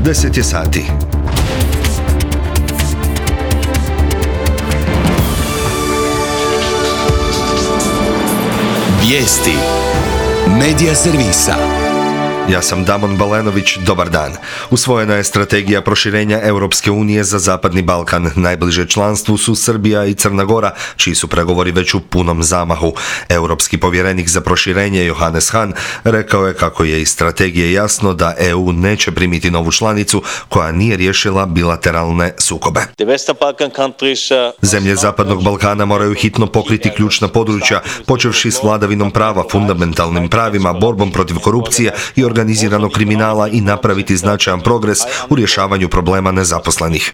10 je sati. Vijesti Medija servisa. Ja sam Damon Balenović, dobar dan. Usvojena je strategija proširenja Europske unije za Zapadni Balkan. Najbliže članstvu su Srbija i Crna Gora, čiji su pregovori već u punom zamahu. Europski povjerenik za proširenje Johannes Hahn rekao je kako je iz strategije jasno da EU neće primiti novu članicu koja nije riješila bilateralne sukobe. Zemlje Zapadnog Balkana moraju hitno pokriti ključna područja, počevši s vladavinom prava, fundamentalnim pravima, borbom protiv korupcije i organiziranog kriminala i napraviti značajan progres u rješavanju problema nezaposlenih.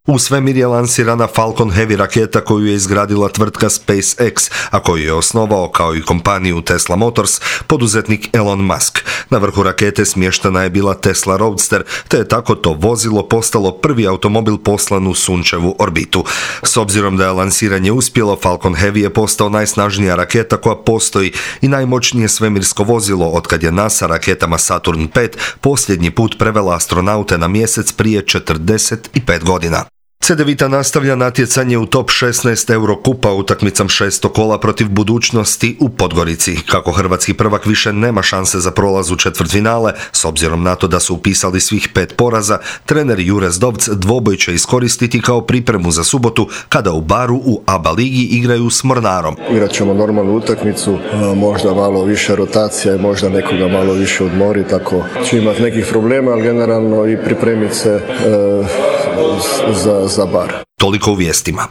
U svemir je lansirana Falcon Heavy raketa koju je izgradila tvrtka SpaceX, a koju je osnovao kao i kompaniju Tesla Motors poduzetnik Elon Musk. Na vrhu rakete smještena je bila Tesla Roadster, te je tako to vozilo postalo prvi automobil poslan u sunčevu orbitu. S obzirom da je lansiranje uspjelo, Falcon Heavy je postao najsnažnija raketa koja postoji i najmoćnije svemirsko vozilo otkad je NASA raketama Saturn V posljednji put prevela astronaute na mjesec prije 45 godina. Cedevita nastavlja natjecanje u top 16 Eurokupa utakmicom 6. kola protiv Budućnosti u Podgorici. Kako hrvatski prvak više nema šanse za prolaz u četvrtfinale, s obzirom na to da su upisali svih 5 poraza, trener Jure Zdovc dvoboj će iskoristiti kao pripremu za subotu kada u Baru u ABA ligi igraju s Mornarom. Igrat ćemo normalnu utakmicu, možda malo više rotacija i možda nekoga malo više odmori, tako će imati nekih problema, ali generalno i pripremiti se za Bar. Toliko u vijestima.